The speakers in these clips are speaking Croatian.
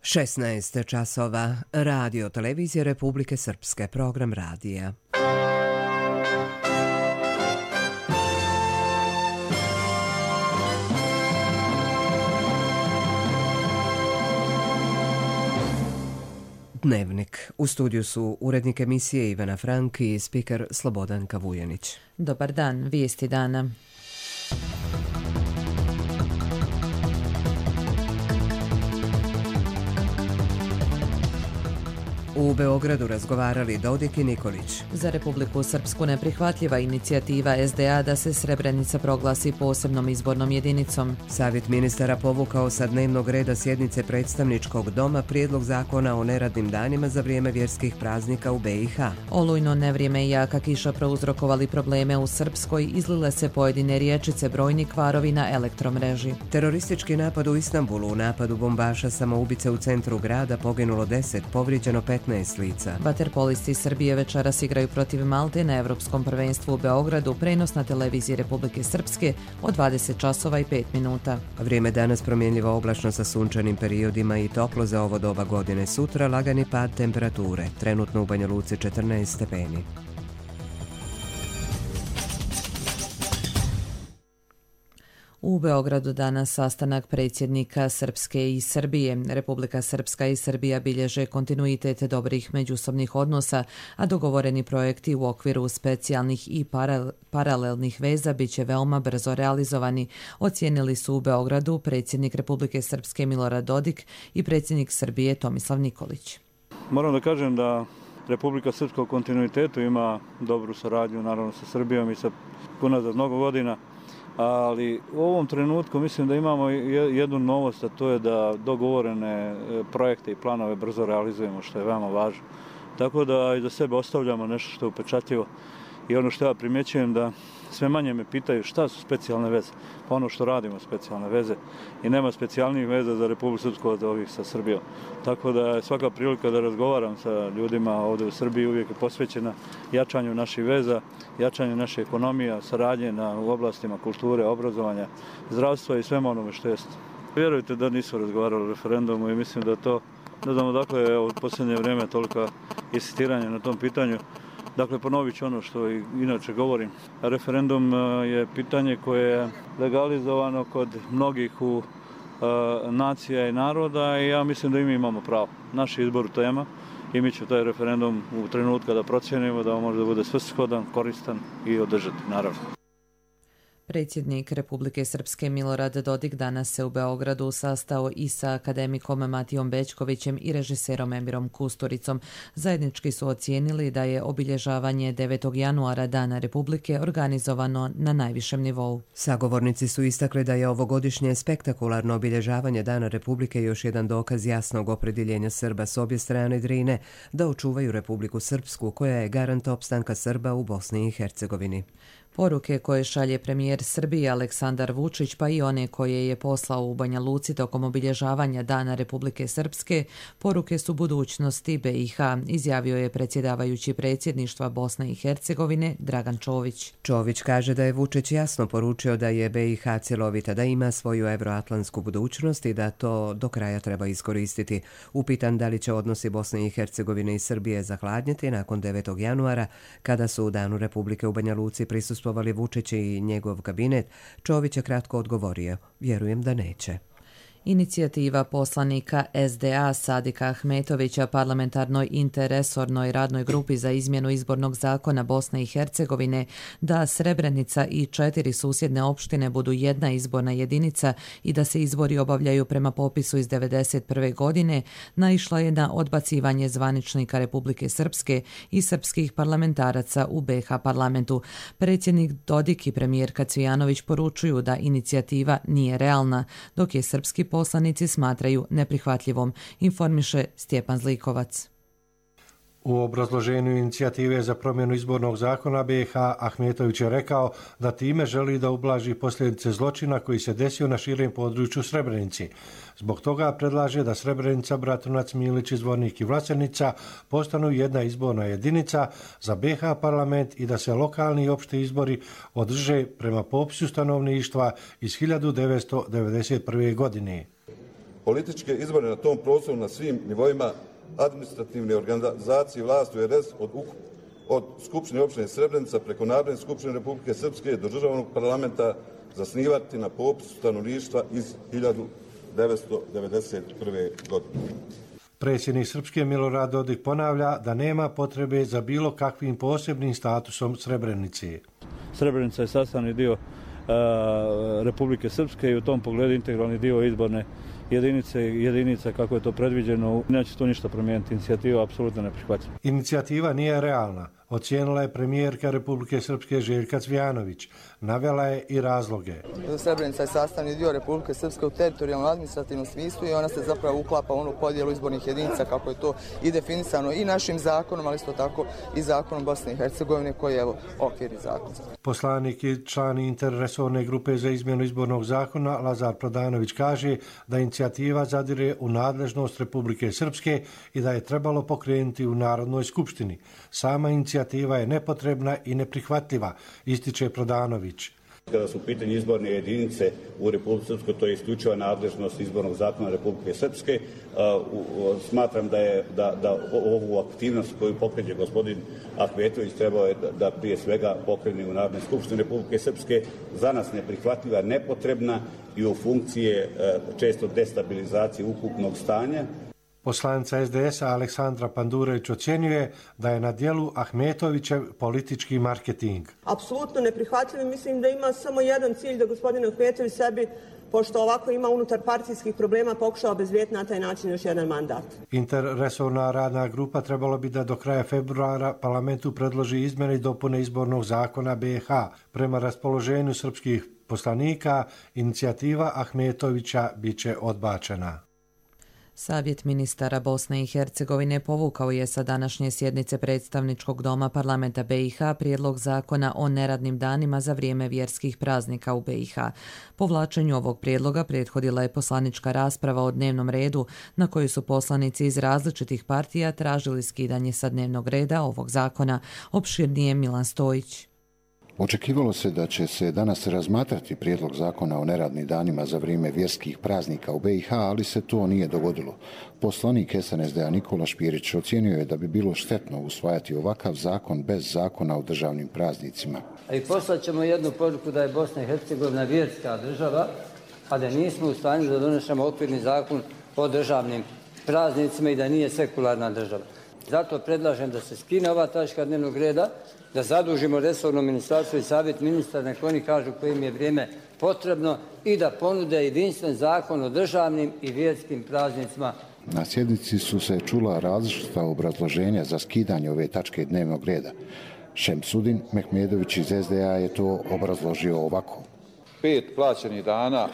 16 časova. Radio televizije Republike Srpske. Program radija. Dnevnik. U studiju su urednik emisije Ivana Frank i spiker Slobodan Kavujanić. Dobar dan, vijesti dana. U Beogradu razgovarali Dodik i Nikolić. Za Republiku Srpsku neprihvatljiva inicijativa SDA da se Srebrenica proglasi posebnom izbornom jedinicom. Savjet ministara povukao sa dnevnog reda sjednice predstavničkog doma prijedlog zakona o neradnim danima za vrijeme vjerskih praznika u BiH. Olujno nevrijeme i jaka kiša prouzrokovali probleme u Srpskoj, izlile se pojedine riječice, brojni kvarovi na elektromreži. Teroristički napad u Istanbulu, u napadu bombaša samoubice u centru grada poginulo 10, povrijeđeno 15 lica. Vaterpolisti Srbije večeras igraju protiv Malte na Evropskom prvenstvu u Beogradu, prenos na televiziji Republike Srpske od 20 časova i 5 minuta. Vrijeme danas promjenljivo oblačno sa sunčanim periodima i toplo za ovo doba godine. Sutra lagani pad temperature, trenutno u Banja Luci 14 stepeni. U Beogradu danas sastanak predsjednika Srpske i Srbije. Republika Srpska i Srbija bilježe kontinuitet dobrih međusobnih odnosa, a dogovoreni projekti u okviru specijalnih i paralelnih veza bit će veoma brzo realizovani, ocijenili su u Beogradu predsjednik Republike Srpske Milorad Dodik i predsjednik Srbije Tomislav Nikolić. Moram da kažem da Republika Srpska u kontinuitetu ima dobru saradnju naravno sa Srbijom i sa unazad mnogo godina. Ali u ovom trenutku mislim da imamo jednu novost, a to je da dogovorene projekte i planove brzo realizujemo, što je veoma važno. Tako da i za sebe ostavljamo nešto što je upečatljivo. I ono što ja primjećujem da sve manje me pitaju šta su specijalne veze. Pa ono što radimo specijalne veze. I nema specijalnih veza za Republiku Srpsku od ovih sa Srbijom. Tako da je svaka prilika da razgovaram sa ljudima ovdje u Srbiji uvijek je posvećena jačanju naših veza, jačanju naše ekonomije, saradnje u oblastima kulture, obrazovanja, zdravstva i svema onome što jest. Vjerujte da nisu razgovarali o referendumu i mislim da to, ne znam odakle je u posljednje vrijeme tolika insistiranja na tom pitanju. Dakle, ponovit ću ono što i inače govorim. Referendum je pitanje koje je legalizovano kod mnogih nacija i naroda i ja mislim da i mi imamo pravo. Naš izbor tema i mi ćemo taj referendum u trenutku da procijenimo da on može da bude svrsishodan, koristan i održati, naravno. Predsjednik Republike Srpske Milorad Dodik danas se u Beogradu sastao i sa akademikom Matijom Bećkovićem i režiserom Emirom Kusturicom. Zajednički su ocijenili da je obilježavanje 9. januara Dana Republike organizovano na najvišem nivou. Sagovornici su istakli da je ovogodišnje spektakularno obilježavanje Dana Republike još jedan dokaz jasnog opredjeljenja Srba s obje strane Drine da očuvaju Republiku Srpsku, koja je garant opstanka Srba u Bosni i Hercegovini. Poruke koje šalje premijer Srbije Aleksandar Vučić, pa i one koje je poslao u Banja Luci tokom obilježavanja Dana Republike Srpske, poruke su budućnosti BiH, izjavio je predsjedavajući predsjedništva Bosne i Hercegovine Dragan Čović. Čović kaže da je Vučić jasno poručio da je BiH cjelovita, da ima svoju evroatlantsku budućnost i da to do kraja treba iskoristiti. Upitan da li će odnosi Bosne i Hercegovine i Srbije zahladnjeti nakon 9. januara, kada su u Danu Republike u Banja Luci prisustvovali Vučić i njegov kabinet, Čović je kratko odgovorio: vjerujem da neće. Inicijativa poslanika SDA Sadika Ahmetovića parlamentarnoj interresornoj radnoj grupi za izmjenu izbornog zakona Bosne i Hercegovine da Srebrenica i 4 susjedne opštine budu jedna izborna jedinica i da se izbori obavljaju prema popisu iz 1991. godine naišla je na odbacivanje zvaničnika Republike Srpske i srpskih parlamentaraca u BiH parlamentu. Predsjednik Dodik i premijerka Cvijanović poručuju da inicijativa nije realna, dok je srpski poslanici smatraju neprihvatljivom, informiše Stjepan Zlikovac. U obrazloženju inicijative za promjenu izbornog zakona BiH Ahmetović je rekao da time želi da ublaži posljedice zločina koji se desio na širem području Srebrenici. Zbog toga predlaže da Srebrenica, Bratunac, Milić, Zvornik i Vlasenica postanu jedna izborna jedinica za BiH parlament i da se lokalni i opšti izbori održe prema popisu stanovništva iz 1991. godine. Političke izbore na tom prostoru na svim nivoima administrativne organizacije vlasti u RS od Skupštine opštine Srebrenica preko Narodne skupštine Republike Srpske do državnog parlamenta zasnivati na popisu stanovništva iz 1991. godine. Predsjednik Srpske Milorad Dodik ponavlja da nema potrebe za bilo kakvim posebnim statusom Srebrenice. Srebrenica je sastavni dio Republike Srpske i u tom pogledu integralni dio izborne jedinica kako je to predviđeno. Neće to ništa promijeniti. Inicijativa apsolutno ne prihvaća. Inicijativa nije realna, ocijenila je premijerka Republike Srpske Željka Cvijanović. Navela je i razloge. Srebrenica je sastavni dio Republike Srpske u teritorijalnom administrativnom smislu i ona se zapravo uklapa u onu podjelu izbornih jedinica kako je to i definisano i našim zakonom, ali isto tako i zakonom Bosne i Hercegovine koji je okvirni zakon. Poslanik i član interresorne grupe za izmjenu izbornog zakona Lazar Prodanović kaže da inicijativa zadire u nadležnost Republike Srpske i da je trebalo pokrenuti u Narodnoj skupštini. Sama inicijativa je nepotrebna i neprihvatljiva, ističe Prodanović. Kada su u pitanju izborne jedinice u Republike Srpskoj, to je isključiva nadležnost izbornog zakona Republike Srpske. Smatram da ovu aktivnost koju pokreće gospodin Ahmetović trebao je da prije svega pokrene u Narodnoj skupštini Republike Srpske. Za nas neprihvatljiva, nepotrebna i u funkcije često destabilizacije ukupnog stanja. Poslanica SDS-a Aleksandra Pandurević ocjenjuje da je na dijelu Ahmetovićev politički marketing. Apsolutno neprihvatljivo. Mislim da ima samo jedan cilj, da gospodin Ahmetović sebi, pošto ovako ima unutar partijskih problema, pokušao obezbediti na taj način još jedan mandat. Interresorna radna grupa trebalo bi da do kraja februara parlamentu predloži izmjene i dopune izbornog zakona BiH. Prema raspoloženju srpskih poslanika, inicijativa Ahmetovića biće odbačena. Savjet ministara Bosne i Hercegovine povukao je sa današnje sjednice predstavničkog doma parlamenta BiH prijedlog zakona o neradnim danima za vrijeme vjerskih praznika u BiH. Povlačenju ovog prijedloga prethodila je poslanička rasprava o dnevnom redu na kojoj su poslanici iz različitih partija tražili skidanje sa dnevnog reda ovog zakona. Opširnije Milan Stojić. Očekivalo se da će se danas razmatrati prijedlog zakona o neradnim danima za vrijeme vjerskih praznika u BiH, ali se to nije dogodilo. Poslanik SNSD-a Nikola Špirić ocijenio je da bi bilo štetno usvajati ovakav zakon bez zakona o državnim praznicima. I poslat ćemo jednu poruku da je Bosna i Hercegovina vjerska država, a da nismo u stanju da donesemo okvirni zakon o državnim praznicima i da nije sekularna država. Zato predlažem da se skine ova tačka dnevnog reda, da zadužimo resorno ministarstvo i savjet ministara, nek oni kažu kojim je vrijeme potrebno i da ponude jedinstven zakon o državnim i vjerskim praznicima. Na sjednici su se čula različita obrazloženja za skidanje ove tačke dnevnog reda. Šemsudin Mehmedović iz SDA je to obrazložio ovako. 5 plaćenih dana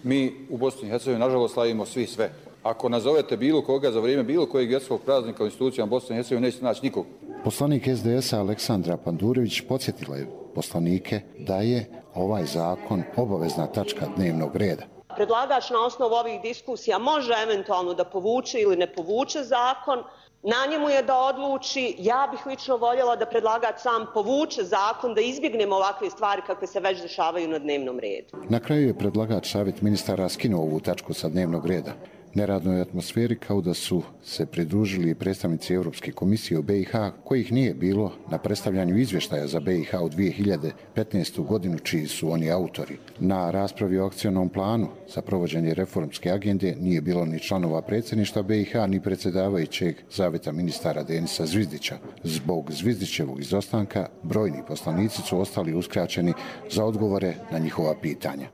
mi u Bosni i Hercegovini nažalost slavimo svi sve. Ako nazovete bilo koga za vrijeme bilo kojeg vjerskog praznika u institucijama Bosne i Hercegovine, nećete naći nikog. Poslanik SDS-a Aleksandra Pandurević podsjetila je poslanike da je ovaj zakon obavezna tačka dnevnog reda. Predlagač na osnovu ovih diskusija može eventualno da povuče ili ne povuče zakon. Na njemu je da odluči. Ja bih lično voljela da predlagač sam povuče zakon, da izbjegnemo ovakve stvari kakve se već dešavaju na dnevnom redu. Na kraju je predlagač savjet ministara skinuo ovu tačku sa dnevnog reda. Neradnoj atmosferi kao da su se pridružili predstavnici Europske komisije u BiH, kojih nije bilo na predstavljanju izvještaja za BiH u 2015. godinu, čiji su oni autori. Na raspravi o akcionom planu za provođenje reformske agende nije bilo ni članova predsjedništva BiH, ni predsjedavajućeg savjeta ministara Denisa Zvizdića. Zbog Zvizdićevog izostanka, brojni poslanici su ostali uskraćeni za odgovore na njihova pitanja.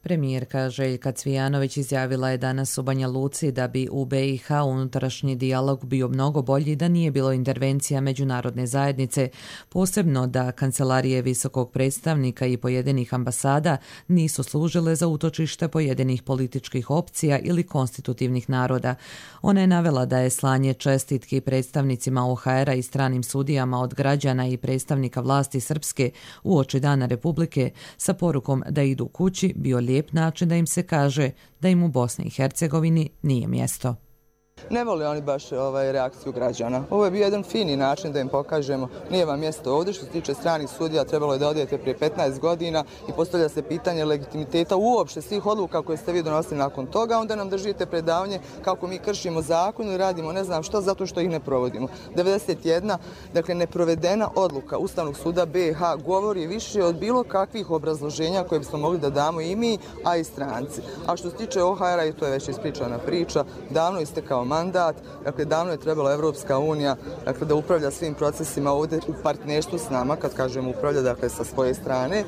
Premijerka Željka Cvijanović izjavila je danas u Banja Luci da bi u BiH unutrašnji dijalog bio mnogo bolji da nije bilo intervencija međunarodne zajednice, posebno da kancelarije visokog predstavnika i pojedinih ambasada nisu služile za utočište pojedinih političkih opcija ili konstitutivnih naroda. Ona je navela da je slanje čestitki predstavnicima OHR-a i stranim sudijama od građana i predstavnika vlasti Srpske uoči Dana Republike sa porukom da idu kući bio lijep način da im se kaže da im u Bosni i Hercegovini nije mjesto. Ne vole oni baš reakciju građana. Ovo je bio jedan fini način da im pokažemo nije vam mjesto ovdje. Što se tiče stranih sudija, trebalo je da odete prije 15 godina i postavlja se pitanje legitimiteta uopšte svih odluka koje ste vi donosili nakon toga. Onda nam držite predavanje kako mi kršimo zakon i radimo ne znam što zato što ih ne provodimo. 91, dakle neprovedena odluka Ustavnog suda BiH govori više od bilo kakvih obrazloženja koje bismo mogli da damo i mi, a i stranci. A što se tiče OHR-a, i to je već ispričana priča, davno istekao mandat, dakle davno je trebala Evropska unija da upravlja svim procesima ovdje u partnerstvu s nama, kad kažem upravlja, dakle sa svoje strane.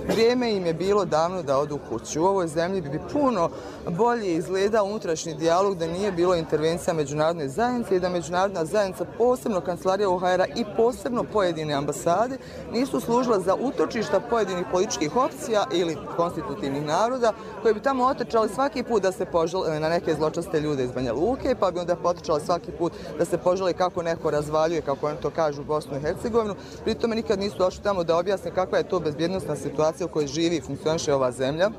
Vrijeme im je bilo davno da odu kući. U ovoj zemlji bi puno bolje izgledao unutrašnji dijalog da nije bilo intervencija međunarodne zajednice i da međunarodna zajednica, posebno kancelarija OHR-a i posebno pojedine ambasade, nisu služila za utočišta pojedinih političkih opcija ili konstitutivnih naroda koji bi tamo otrčali svaki put da se požale na neke zločaste ljude iz Banja Luke, pa bi onda potrčali svaki put da se požale kako neko razvaljuje, kako oni to kažu, Bosnu i Hercegovinu. Pri tome nikad nisu došli tamo da objasne kakva je to bezbjednosna situacija u kojoj živi i funkcioniše ova zemlja.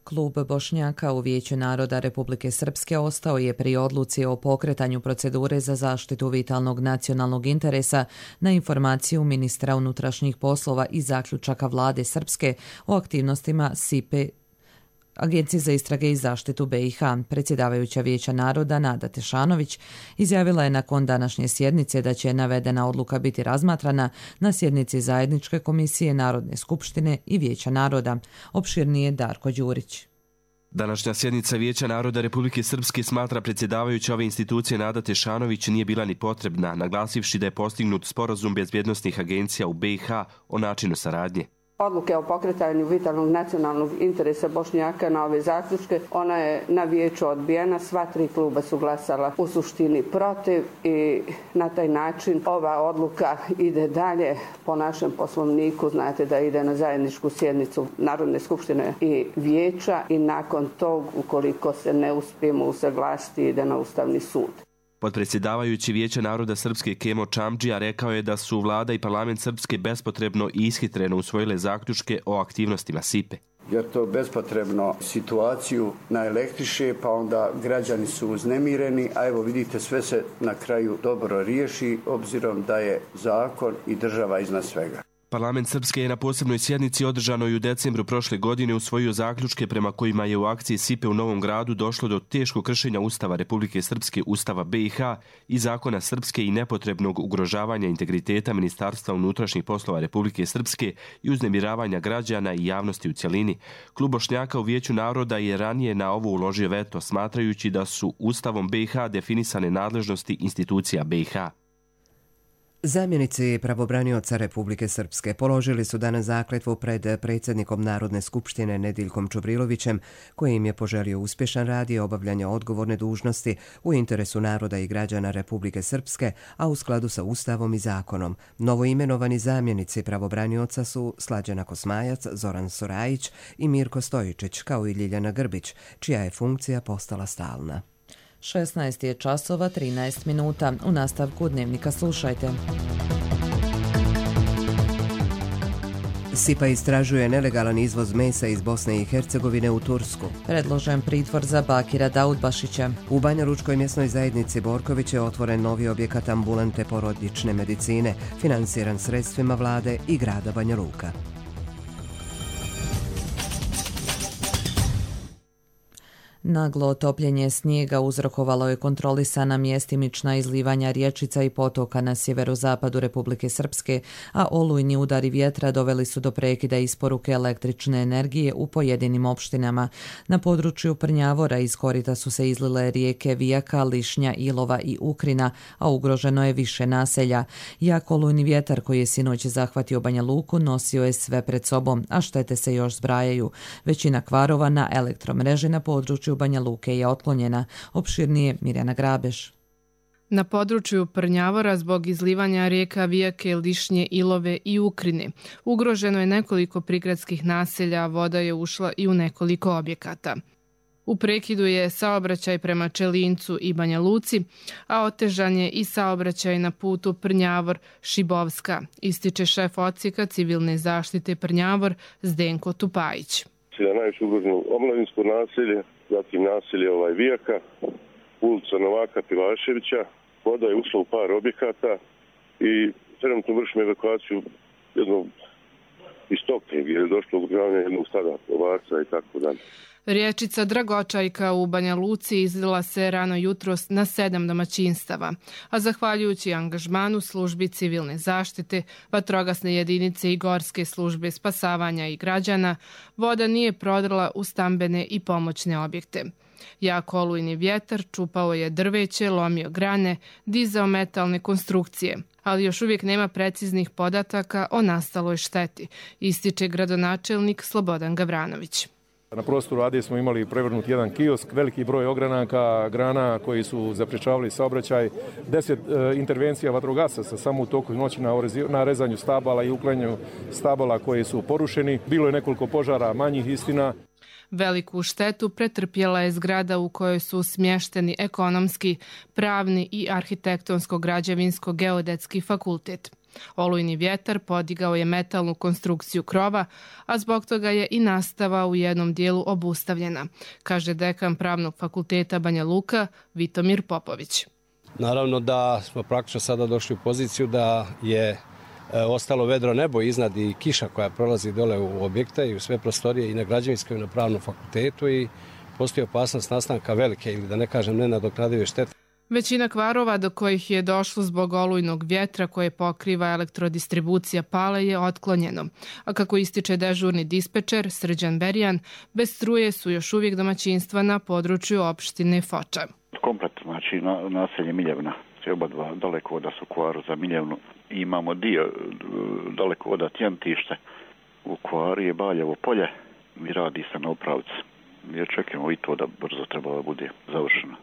Klub Bošnjaka u Vijeću naroda Republike Srpske ostao je pri odluci o pokretanju procedure za zaštitu vitalnog nacionalnog interesa na informaciju ministra unutrašnjih poslova i zaključaka vlade Srpske o aktivnostima SIPE, Agencije za istrage i zaštitu BiH. Predsjedavajuća Vijeća naroda Nada Tešanović izjavila je nakon današnje sjednice da će navedena odluka biti razmatrana na sjednici Zajedničke komisije Narodne skupštine i Vijeća naroda. Opširnije Darko Đurić. Današnja sjednica Vijeća naroda Republike Srpske, smatra predsjedavajuća ove institucije Nada Tešanović, nije bila ni potrebna, naglasivši da je postignut sporazum bezbjednosnih agencija u BiH o načinu saradnje. Odluke o pokretanju vitalnog nacionalnog interesa Bošnjaka na ove zaključke, ona je na vijeću odbijena, sva tri kluba su glasala u suštini protiv i na taj način ova odluka ide dalje po našem poslovniku. Znate da ide na zajedničku sjednicu Narodne skupštine i vijeća i nakon tog, ukoliko se ne uspijemo usaglasiti, ide na Ustavni sud. Podpredsjedavajući Vijeća naroda Srpske Kemo Čamdžija rekao je da su vlada i parlament Srpske bespotrebno i ishitreno usvojile zaključke o aktivnostima SIPE. Jer to bespotrebno situaciju naelektriše, pa onda građani su uznemireni, a evo vidite sve se na kraju dobro riješi obzirom da je zakon i država iznad svega. Parlament Srpske je na posebnoj sjednici održanoj u decembru prošle godine usvojio zaključke prema kojima je u akciji SIPE u Novom Gradu došlo do teškog kršenja Ustava Republike Srpske, Ustava BiH i zakona Srpske i nepotrebnog ugrožavanja integriteta Ministarstva unutrašnjih poslova Republike Srpske i uznemiravanja građana i javnosti u cjelini. Klub Bošnjaka u Vijeću naroda je ranije na ovo uložio veto, smatrajući da su Ustavom BiH definisane nadležnosti institucija BiH. Zamjenici pravobranioca Republike Srpske položili su danas zakletvu pred predsjednikom Narodne skupštine Nediljkom Čubrilovićem, koji im je poželio uspješan rad i obavljanje odgovorne dužnosti u interesu naroda i građana Republike Srpske, a u skladu sa Ustavom i zakonom. Novoimenovani zamjenici pravobranioca su Slađana Kosmajac, Zoran Sorajić i Mirko Stojičić, kao i Ljiljana Grbić, čija je funkcija postala stalna. 16 je časova 13 minuta. U nastavku dnevnika slušajte. SIPA istražuje nelegalan izvoz mesa iz Bosne i Hercegovine u Tursku. Predložen pritvor za Bakira Daudbašića. U Banjalučkoj mjesnoj zajednici Borković je otvoren novi objekat ambulante porodične medicine, finansiran sredstvima vlade i grada Banja Luka. Naglo topljenje snijega uzrokovalo je kontrolisana mjestimična izlivanja rječica i potoka na sjeverozapadu Republike Srpske, a olujni udari vjetra doveli su do prekida isporuke električne energije u pojedinim opštinama. Na području Prnjavora iz korita su se izlile rijeke Vijaka, Lišnja, Ilova i Ukrina, a ugroženo je više naselja. Jak olujni vjetar koji je sinoć zahvatio Banja Luku nosio je sve pred sobom, a štete se još zbrajaju. Većina kvarova na elektromreži na području Banja Luke je otklonjena. Opširnije Mirjana Grabeš. Na području Prnjavora zbog izlivanja rijeka Vijake, Lišnje, Ilove i Ukrine ugroženo je nekoliko prigradskih naselja, a voda je ušla i u nekoliko objekata. U prekidu je saobraćaj prema Čelincu i Banja Luci, a otežan je i saobraćaj na putu Prnjavor-Šibovska, ističe šef odsjeka civilne zaštite Prnjavor Zdenko Tupajić. Najviše ugroženo omladinsko naselje, zatim naselje Vijaka, ulica Novaka Pilaševića. Voda je ušla u par objekata i trenutno vršimo evakuaciju jednog iz Toknje gdje je došlo ugravanje jednog stada ovaca i tako dalje. Riječica Dragočajka u Banja Luci izlila se rano jutros na 7 domaćinstava, a zahvaljujući angažmanu službi civilne zaštite, vatrogasne jedinice i gorske službe spasavanja i građana, voda nije prodrla u stambene i pomoćne objekte. Jak olujni vjetar čupao je drveće, lomio grane, dizao metalne konstrukcije, ali još uvijek nema preciznih podataka o nastaloj šteti, ističe gradonačelnik Slobodan Gavranović. Na prostoru Ade smo imali prevrnut jedan kiosk, veliki broj ogranaka, grana koji su zapriječavali saobraćaj, 10 intervencija vatrogasaca samo u toku noći na rezanju stabala i uklanjanju stabala koji su porušeni. Bilo je nekoliko požara manjih, istina. Veliku štetu pretrpjela je zgrada u kojoj su smješteni ekonomski, pravni i arhitektonsko-građevinsko-geodetski fakultet. Olujni vjetar podigao je metalnu konstrukciju krova, a zbog toga je i nastava u jednom dijelu obustavljena, kaže dekan Pravnog fakulteta Banja Luka Vitomir Popović. Naravno da smo praktično sada došli u poziciju da je ostalo vedro nebo iznad i kiša koja prolazi dole u objekte i u sve prostorije i na građevinskom i na Pravnom fakultetu i postoji opasnost nastanka velike ili da ne kažem nenadoknadive štete. Većina kvarova do kojih je došlo zbog olujnog vjetra koje pokriva elektrodistribucija Pale je otklonjeno, a kako ističe dežurni dispečer Srđan Berijan, bez struje su još uvijek domaćinstva na području opštine Foča. Komplet, znači naselje Miljevna, oba dva dalekovoda su u kvaru za Miljevnu. Imamo dio dalekovoda Tjentište, u kvaru je Baljevo polje i radi se na upravci. Mi očekujemo i to da brzo treba bude završeno.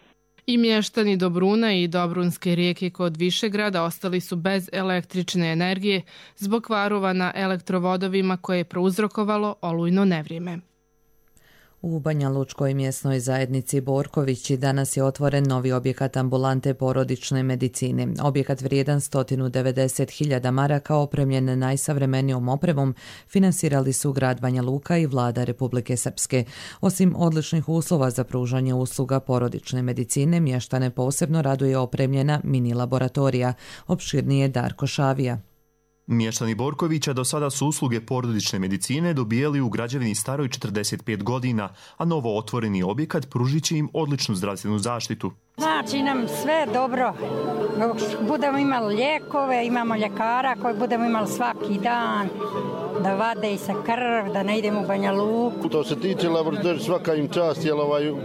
I mještani Dobruna i Dobrunske rijeke kod Višegrada ostali su bez električne energije zbog kvarova na elektrovodovima koje je prouzrokovalo olujno nevrijeme. U Banja Lučkoj mjesnoj zajednici Borkovići danas je otvoren novi objekat ambulante porodične medicine. Objekat vrijedan 190.000 maraka, opremljen najsavremenijom opremom, finansirali su grad Banja Luka i vlada Republike Srpske. Osim odličnih uslova za pružanje usluga porodične medicine, mještane posebno raduje opremljena mini laboratorija, opširnije Darko Šavija. Mještani Borkovića do sada su usluge porodične medicine dobijali u građevini staroj 45 godina, a novo otvoreni objekat pružit će im odličnu zdravstvenu zaštitu. Znači nam sve dobro. Budemo imali lijekove, imamo ljekara koji budemo imali svaki dan, da vade i sa krv, da ne idemo u Banja Luku. To se tiče laboratorija, svaka im čast, jer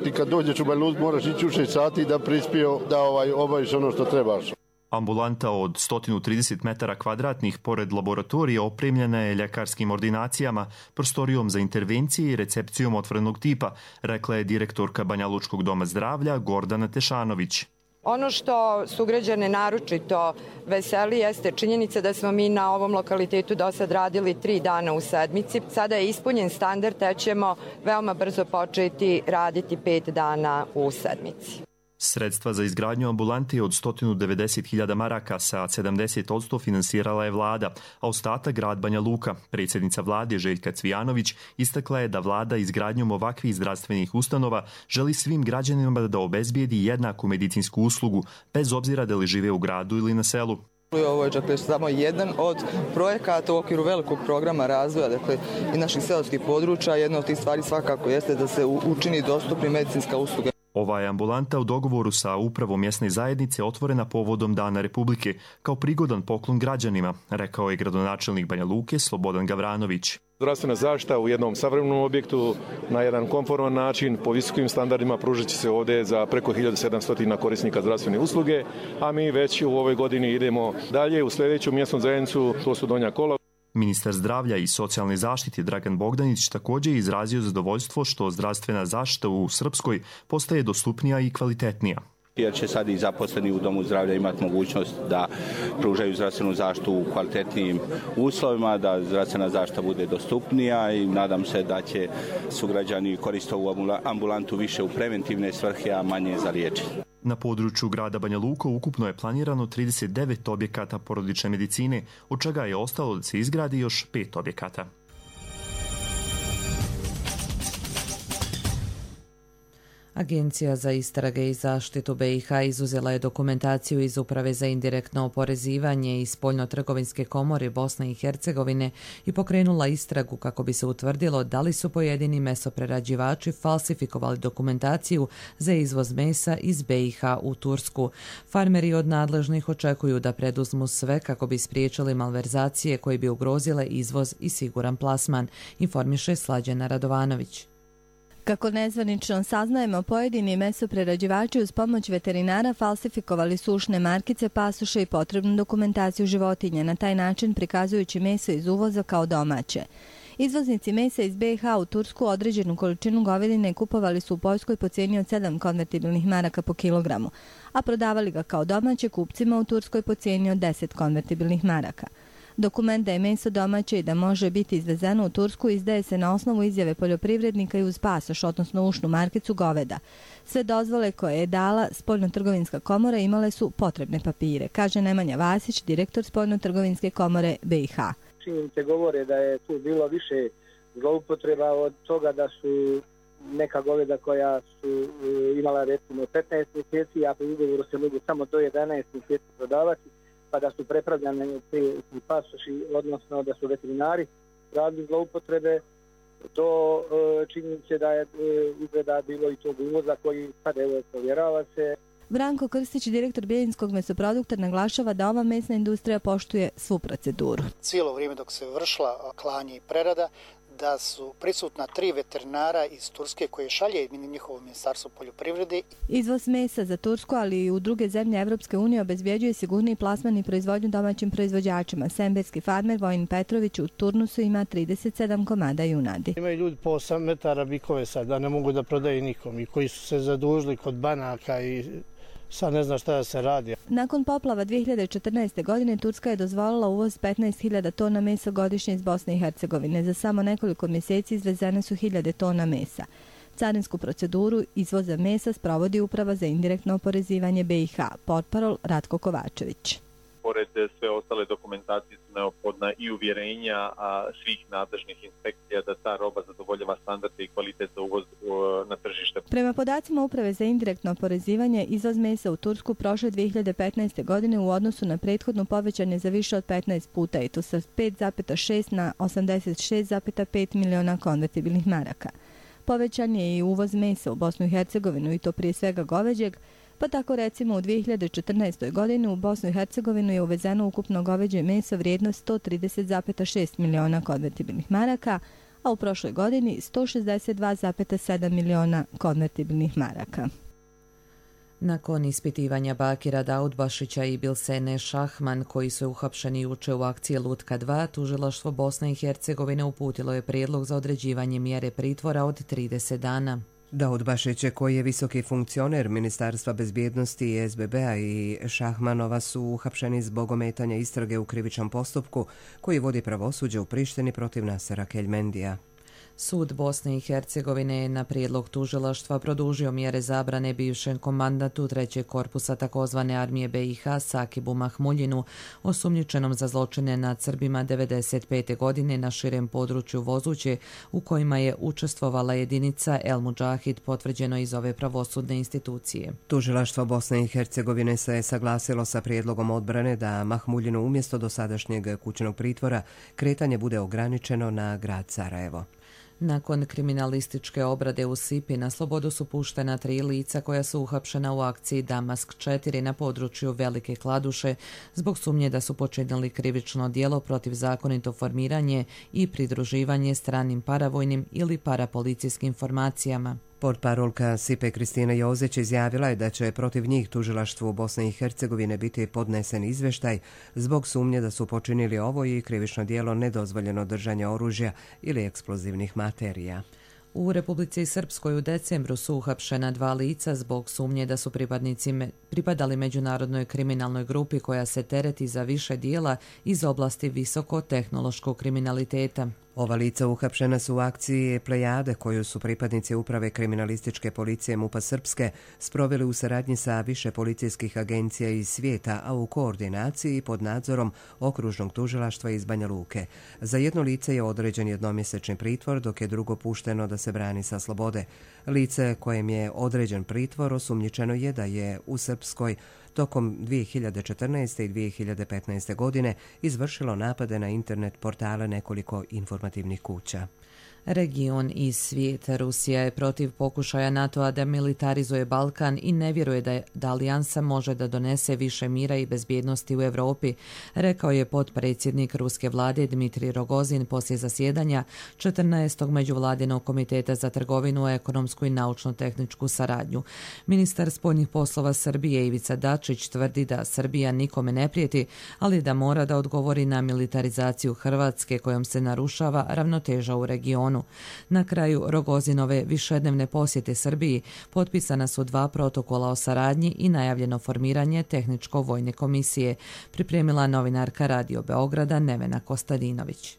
ti kad dođeš u Banja Luku moraš ići u 6 sati da prispio da obaviš ono što trebaš. Ambulanta od 130 metara kvadratnih pored laboratorija opremljena je ljekarskim ordinacijama, prostorijom za intervencije i recepcijom otvorenog tipa, rekla je direktorka Banja Lučkog doma zdravlja Gordana Tešanović. Ono što sugrađane naročito veseli jeste činjenica da smo mi na ovom lokalitetu do sad radili 3 dana u sedmici. Sada je ispunjen standard, te ćemo veoma brzo početi raditi 5 dana u sedmici. Sredstva za izgradnju ambulante od 190.000 maraka sa 70% finansirala je vlada, a ostatak grad Banja Luka. Predsjednica vlade Željka Cvijanović istakla je da vlada izgradnjom ovakvih zdravstvenih ustanova želi svim građanima da obezbijedi jednaku medicinsku uslugu, bez obzira da li žive u gradu ili na selu. Ovo je dakle samo jedan od projekata u okviru velikog programa razvoja i naših seoskih područja. Jedna od tih stvari svakako jeste da se učini dostupni medicinska usluga. Ova je ambulanta u dogovoru sa upravom mjesne zajednice otvorena povodom Dana Republike kao prigodan poklon građanima, rekao je gradonačelnik Banja Luke Slobodan Gavranović. Zdravstvena zaštita u jednom savremenom objektu na jedan konforman način po visokim standardima pružit će se ovdje za preko 1700 korisnika zdravstvene usluge, a mi već u ovoj godini idemo dalje u sljedeću mjesnu zajednicu, to su Donja Kola. Ministar zdravlja i socijalne zaštite Dragan Bogdanić također je izrazio zadovoljstvo što zdravstvena zaštita u Srpskoj postaje dostupnija i kvalitetnija. Jer će sad i zaposleni u domu zdravlja imati mogućnost da pružaju zdravstvenu zaštitu u kvalitetnijim uslovima, da zdravstvena zaštita bude dostupnija i nadam se da će sugrađani koristiti ovu ambulantu više u preventivne svrhe, a manje za liječenje. Na području grada Banja Luka ukupno je planirano 39 objekata porodične medicine, od čega je ostalo da se izgradi još 5 objekata. Agencija za istrage i zaštitu BiH izuzela je dokumentaciju iz Uprave za indirektno oporezivanje i Spoljno-trgovinske komore Bosne i Hercegovine i pokrenula istragu kako bi se utvrdilo da li su pojedini mesoprerađivači falsifikovali dokumentaciju za izvoz mesa iz BiH u Tursku. Farmeri od nadležnih očekuju da preduzmu sve kako bi spriječili malverzacije koje bi ugrozile izvoz i siguran plasman, informiše Slađana Radovanović. Kako nezvanično saznajemo, pojedini mesoprerađivači uz pomoć veterinara falsifikovali sušne markice, pasoše i potrebnu dokumentaciju životinja, na taj način prikazujući meso iz uvoza kao domaće. Izvoznici mesa iz BiH u Tursku određenu količinu govedine kupovali su u Poljskoj po cijeni od 7 konvertibilnih maraka po kilogramu, a prodavali ga kao domaće kupcima u Turskoj po cijeni od 10 konvertibilnih maraka. Dokument da je meso domaće i da može biti izvezeno u Tursku izdaje se na osnovu izjave poljoprivrednika i uz pasoš, odnosno ušnu markicu goveda. Sve dozvole koje je dala Spoljno-trgovinska komora imale su potrebne papire, kaže Nemanja Vasić, direktor Spoljno-trgovinske komore BiH. Činjenice govore da je tu bilo više zloupotreba od toga da su neka goveda koja su imala recimo 15 mjeseci, a po ugovoru se mogu samo do 11 mjeseci prodavati, pa da su prepravljane te pasoši, odnosno da su veterinari radili zloupotrebe, do činjenice da je izgleda bilo i tog uvoza koji sad evo provjerava se. Branko Krstić, direktor Bijeljinskog mesoprodukta, naglašava da ova mesna industrija poštuje svu proceduru. Cijelo vrijeme dok se vršila klanje i prerada, da su prisutna 3 veterinara iz Turske koje šalje njihovo ministarstvo poljoprivrede. Izvoz mesa za Tursku, ali i u druge zemlje Evropske unije obezbjeđuje sigurniji plasman i proizvodnju domaćim proizvođačima. Semberski farmer Vojin Petrović u Turnusu ima 37 komada junadi. Imaju ljudi po 8 metara bikove sad, da ne mogu da prodaju nikom i koji su se zadužili kod banaka i sad ne zna šta da se radi. Nakon poplava 2014. godine Turska je dozvolila uvoz 15.000 tona mesa godišnje iz Bosne i Hercegovine. Za samo nekoliko mjeseci izvezene su 1.000 tona mesa. Carinsku proceduru izvoza mesa sprovodi Uprava za indirektno oporezivanje BiH, portparol Ratko Kovačević. Pored sve ostale dokumentacije su neophodna i uvjerenja svih nadležnih inspekcija da ta roba zadovoljava standarde i kvalitet za uvoz na tržište. Prema podacima Uprave za indirektno oporezivanje, izvoz mesa u Tursku prošle 2015. godine u odnosu na prethodnu povećan je za više od 15 puta i to sa 5,6 na 86,5 miliona konvertibilnih maraka. Povećan je i uvoz mesa u Bosnu i Hercegovinu i to prije svega goveđeg, pa tako recimo u 2014. godini u Bosnu i Hercegovinu je uvezeno ukupno goveđe meso vrijednost 130,6 miliona konvertibilnih maraka, a u prošloj godini 162,7 miliona konvertibilnih maraka. Nakon ispitivanja Bakira Daudbašića i Bilsene Šahman, koji su uhapšeni juče u akciji Lutka 2, tužilaštvo Bosne i Hercegovine uputilo je prijedlog za određivanje mjere pritvora od 30 dana. Daudbašić, koji je visoki funkcioner Ministarstva bezbjednosti i SBB-a, i Šahmanova su uhapšeni zbog ometanja istrage u krivičnom postupku koji vodi pravosuđe u Prištini protiv Nasera Keljmendija. Sud Bosne i Hercegovine je na prijedlog tužilaštva produžio mjere zabrane bivšem komandantu 3. korpusa takozvane armije BiH Sakibu Mahmuljinu, osumnjičenom za zločine nad Srbima 1995. godine na širem području Vozuće, u kojima je učestvovala jedinica El Mudžahid, potvrđeno iz ove pravosudne institucije. Tužilaštvo Bosne i Hercegovine se saglasilo sa prijedlogom odbrane da Mahmuljinu umjesto dosadašnjeg kućnog pritvora kretanje bude ograničeno na grad Sarajevo. Nakon kriminalističke obrade u Sipi na slobodu su puštena 3 lica koja su uhapšena u akciji Damask 4 na području Velike Kladuše zbog sumnje da su počinili krivično djelo protiv zakonito formiranje i pridruživanje stranim paravojnim ili parapolicijskim formacijama. Portparolka Sipe Kristina Jozić izjavila je da će protiv njih tužilaštvu Bosne i Hercegovine biti podnesen izvještaj zbog sumnje da su počinili ovo i krivično djelo nedozvoljeno držanje oružja ili eksplozivnih materija. U Republici Srpskoj u decembru su uhapšena 2 lica zbog sumnje da su pripadali međunarodnoj kriminalnoj grupi koja se tereti za više dijela iz oblasti visokotehnološkog kriminaliteta. Ova lica uhapšena su u akciji Plejade koju su pripadnici uprave kriminalističke policije MUP-a Srpske sproveli u saradnji sa više policijskih agencija iz svijeta, a u koordinaciji pod nadzorom okružnog tužilaštva iz Banja Luke. Za jedno lice je određen jednomjesečni pritvor, dok je drugo pušteno da se brani sa slobode. Lice kojem je određen pritvor osumnjičeno je da je u Srpskoj tokom 2014. i 2015. godine izvršilo napade na internet portale nekoliko informativnih kuća. Region i svijet. Rusija je protiv pokušaja NATO-a da militarizuje Balkan i ne vjeruje da alijansa može da donese više mira i bezbjednosti u Europi, rekao je potpredsjednik ruske vlade Dmitrij Rogozin poslije zasjedanja 14. međuvladinog komiteta za trgovinu, ekonomsku i naučno-tehničku saradnju. Ministar spoljnih poslova Srbije Ivica Dačić tvrdi da Srbija nikome ne prijeti, ali da mora da odgovori na militarizaciju Hrvatske kojom se narušava ravnoteža u regionu. Na kraju Rogozinove višednevne posjete Srbiji potpisana su 2 protokola o saradnji i najavljeno formiranje tehničko-vojne komisije, pripremila novinarka Radio Beograda Nevena Kostadinović.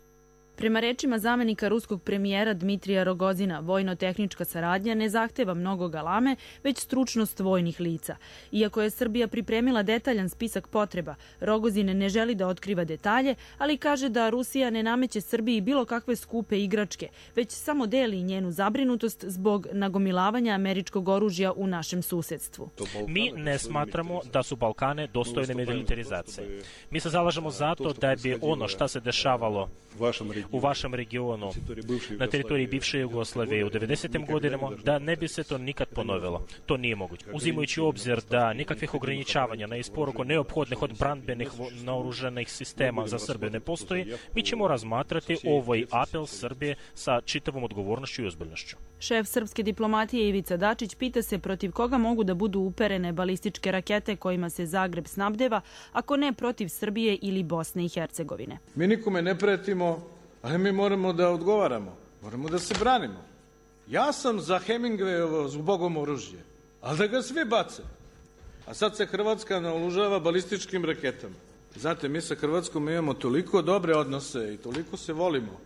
Prema rečima zamenika ruskog premijera Dmitrija Rogozina, vojno-tehnička saradnja ne zahteva mnogo galame, već stručnost vojnih lica. Iako je Srbija pripremila detaljan spisak potreba, Rogozin ne želi da otkriva detalje, ali kaže da Rusija ne nameće Srbiji bilo kakve skupe igračke, već samo deli njenu zabrinutost zbog nagomilavanja američkog oružja u našem susedstvu. Mi ne smatramo da su Balkane dostojne militarizacije. Mi se zalažemo za to da bi ono što se dešavalo u vašem regionu, na teritoriji bivše Jugoslavije u 90. godinama, da ne bi se to nikad ponovilo. To nije moguće. Uzimajući obzir da nikakvih ograničavanja na isporuku neophodnih odbranbenih naoružanih sistema za Srbiju ne postoji, mi ćemo razmatrati ovaj apel Srbije sa čitavom odgovornošću i ozbiljnošću. Šef srpske diplomatije Ivica Dačić pita se protiv koga mogu da budu uperene balističke rakete kojima se Zagreb snabdeva, ako ne protiv Srbije ili Bosne i Hercegovine. Mi nikome ne pretimo, ali mi moramo da odgovaramo, moramo da se branimo. Ja sam za Hemingwayovo zbogom oružje, ali da ga svi bace. A sad se Hrvatska naoružava balističkim raketama. Znate, mi sa Hrvatskom imamo toliko dobre odnose i toliko se volimo,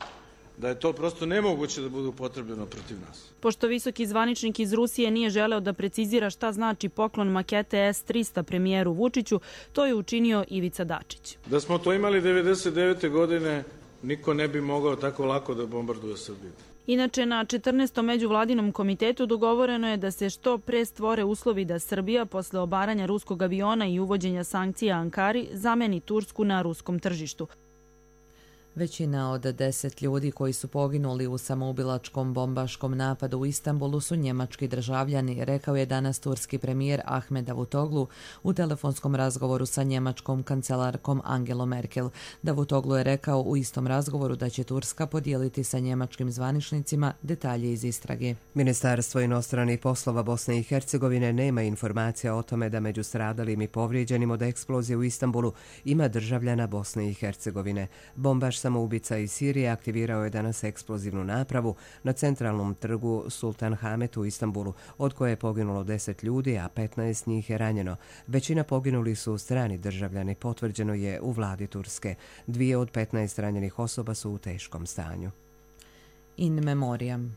da je to prosto nemoguće da bude upotrebljeno protiv nas. Pošto visoki zvaničnik iz Rusije nije želeo da precizira šta znači poklon makete S-300 premijeru Vučiću, to je učinio Ivica Dačić. Da smo to imali 99. godine, niko ne bi mogao tako lako da bombarduje Srbiju. Inače, na 14. međuvladinom komitetu dogovoreno je da se što pre stvore uslovi da Srbija, posle obaranja ruskog aviona i uvođenja sankcija Ankari, zameni Tursku na ruskom tržištu. Većina od 10 ljudi koji su poginuli u samoubilačkom bombaškom napadu u Istanbulu su njemački državljani, rekao je danas turski premijer Ahmed Davutoglu u telefonskom razgovoru sa njemačkom kancelarkom Angelom Merkel. Davutoglu je rekao u istom razgovoru da će Turska podijeliti sa njemačkim zvaničnicima detalje iz istrage. Ministarstvo inostranih poslova Bosne i Hercegovine nema informacija o tome da među stradalim i povrijeđenim od eksplozije u Istanbulu ima državljana Bosne i Hercegovine. Bombaš samoubica iz Sirije aktivirao je danas eksplozivnu napravu na centralnom trgu Sultan Hamet u Istanbulu, od koje je poginulo 10 ljudi, a 15 njih je ranjeno. Većina poginuli su strani državljani, potvrđeno je u vladi Turske. 2 od 15 ranjenih osoba su u teškom stanju. In memoriam.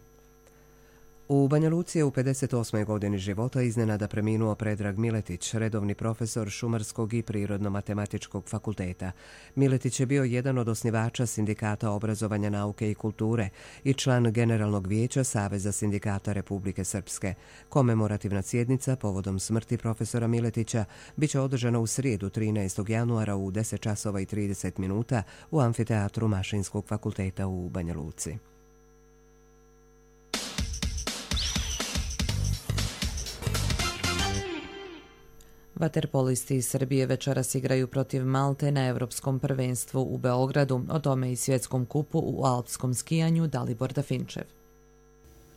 U Banja Luci je u 58. godini života iznenada preminuo Predrag Miletić, redovni profesor Šumarskog i Prirodno-matematičkog fakulteta. Miletić je bio jedan od osnivača Sindikata obrazovanja, nauke i kulture i član Generalnog vijeća Saveza sindikata Republike Srpske. Komemorativna sjednica povodom smrti profesora Miletića biće održana u srijedu 13. januara u 10 časova i 30 minuta u amfiteatru Mašinskog fakulteta u Banja Luci. Vaterpolisti iz Srbije večeras igraju protiv Malte na Evropskom prvenstvu u Beogradu, o tome i svjetskom kupu u alpskom skijanju Dalibor Dafinčev.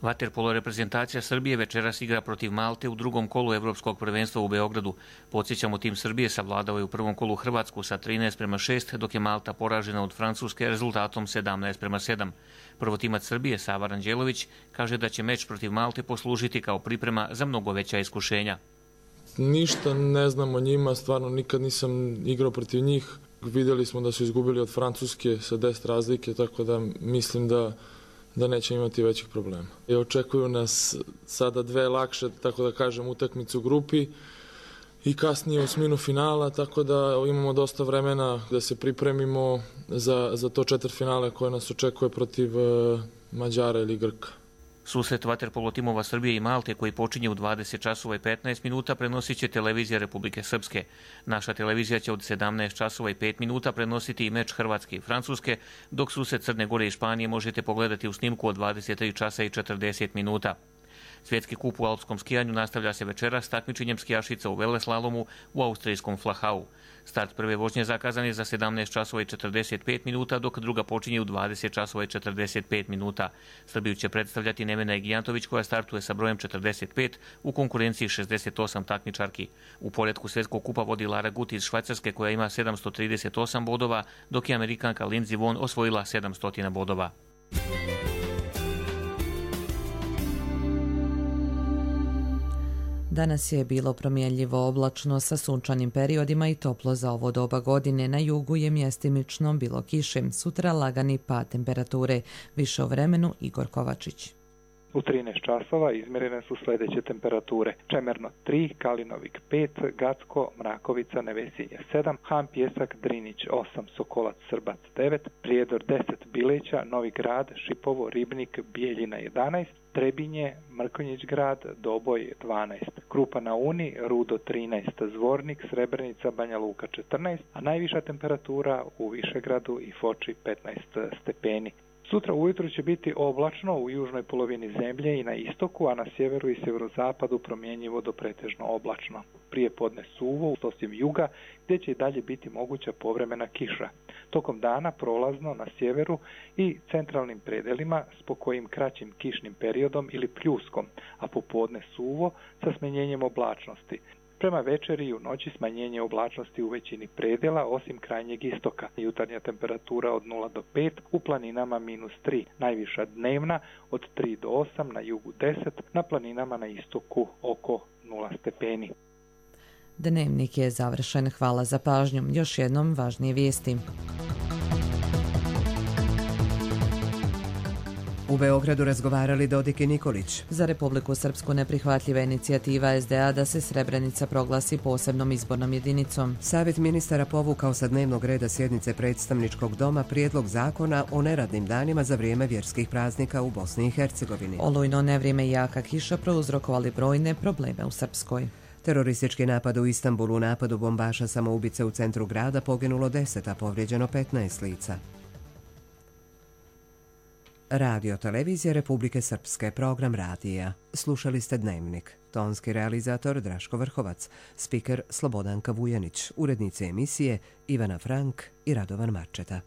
Vaterpolo reprezentacija Srbije večeras igra protiv Malte u drugom kolu Evropskog prvenstva u Beogradu. Podsjećamo, tim Srbije savladao je u prvom kolu Hrvatsku sa 13:6, dok je Malta poražena od Francuske rezultatom 17:7. Prvotimac Srbije, Sava Ranđelović, kaže da će meč protiv Malte poslužiti kao priprema za mnogo veća iskušenja. Ništa ne znam o njima, stvarno nikad nisam igrao protiv njih. Vidjeli smo da su izgubili od Francuske sa 10 razlike, tako da mislim da neće imati većih problema. I očekuju nas sada 2 lakše, tako da kažem, utakmice u grupi i kasnije osminu finala, tako da imamo dosta vremena da se pripremimo za to četvrtfinale koje nas očekuje protiv Mađara ili Grka. Susret vaterpolo timova Srbije i Malte koji počinje u 20 časova i 15 minuta prenosit će televizija Republike Srpske. Naša televizija će od 17 časova i 5 minuta prenositi i meč Hrvatske i Francuske, dok susret Crne Gore i Španije možete pogledati u snimku od 23 časa i 40 minuta. Svjetski kup u alpskom skijanju nastavlja se večeras s takmičenjem skijašica u veleslalomu u austrijskom Flachau. Start prve vožnje zakazan je za 17 časova i 45 minuta, dok druga počinje u 20 časova i 45 minuta. Srbiju će predstavljati Nevena Egijantović koja startuje sa brojem 45 u konkurenciji 68 takmičarki. U poretku svjetskog kupa vodi Lara Gut iz Švajcarske koja ima 738 bodova, dok je Amerikanka Lindsey Vonn osvojila 700 bodova. Danas je bilo promjenljivo oblačno sa sunčanim periodima i toplo za ovo doba godine. Na jugu je mjestimično bilo kiše. Sutra lagani pad temperature. Više o vremenu Igor Kovačić. U 13 časova izmjerene su sljedeće temperature. Čemerno 3, Kalinovik 5, Gacko, Mrakovica, Nevesinje 7, Han Pjesak, Drinić 8, Sokolac, Srbac 9, Prijedor 10, Bileća, Novi Grad, Šipovo, Ribnik, Bijeljina 11, Trebinje, Mrkonjić grad, Doboj 12, Krupa na Uni, Rudo 13, Zvornik, Srebrenica, Banja Luka 14, a najviša temperatura u Višegradu i Foči 15 stepeni. Sutra ujutro će biti oblačno u južnoj polovini zemlje i na istoku, a na sjeveru i sjeverozapadu promjenjivo do pretežno oblačno. Prije podne suvo, osim juga, gdje će i dalje biti moguća povremena kiša. Tokom dana prolazno na sjeveru i centralnim predelima s pokojim kraćim kišnim periodom ili pljuskom, a popodne suvo sa smanjenjem oblačnosti. Prema večeri i u noći smanjenje oblačnosti u većini predjela, osim krajnjeg istoka. Jutarnja temperatura od 0 do 5, u planinama -3. Najviša dnevna od 3 do 8, na jugu 10, na planinama na istoku oko 0 stepeni. Dnevnik je završen. Hvala za pažnju. Još jednom važnije vijesti. U Beogradu razgovarali Dodik i Nikolić. Za Republiku Srpsku neprihvatljiva inicijativa SDA da se Srebrenica proglasi posebnom izbornom jedinicom. Savjet ministara povukao sa dnevnog reda sjednice predstavničkog doma prijedlog zakona o neradnim danima za vrijeme vjerskih praznika u Bosni i Hercegovini. Olujno nevrijeme i jaka kiša prouzrokovali brojne probleme u Srpskoj. Teroristički napad u Istanbulu, u napadu bombaša samoubice u centru grada poginulo 10, a povrijeđeno 15 lica. Radio Televizija Republike Srpske, program radija. Slušali ste Dnevnik. Tonski realizator Draško Vrhovac, spiker Slobodanka Vujanić, urednice emisije Ivana Frank i Radovan Marčeta.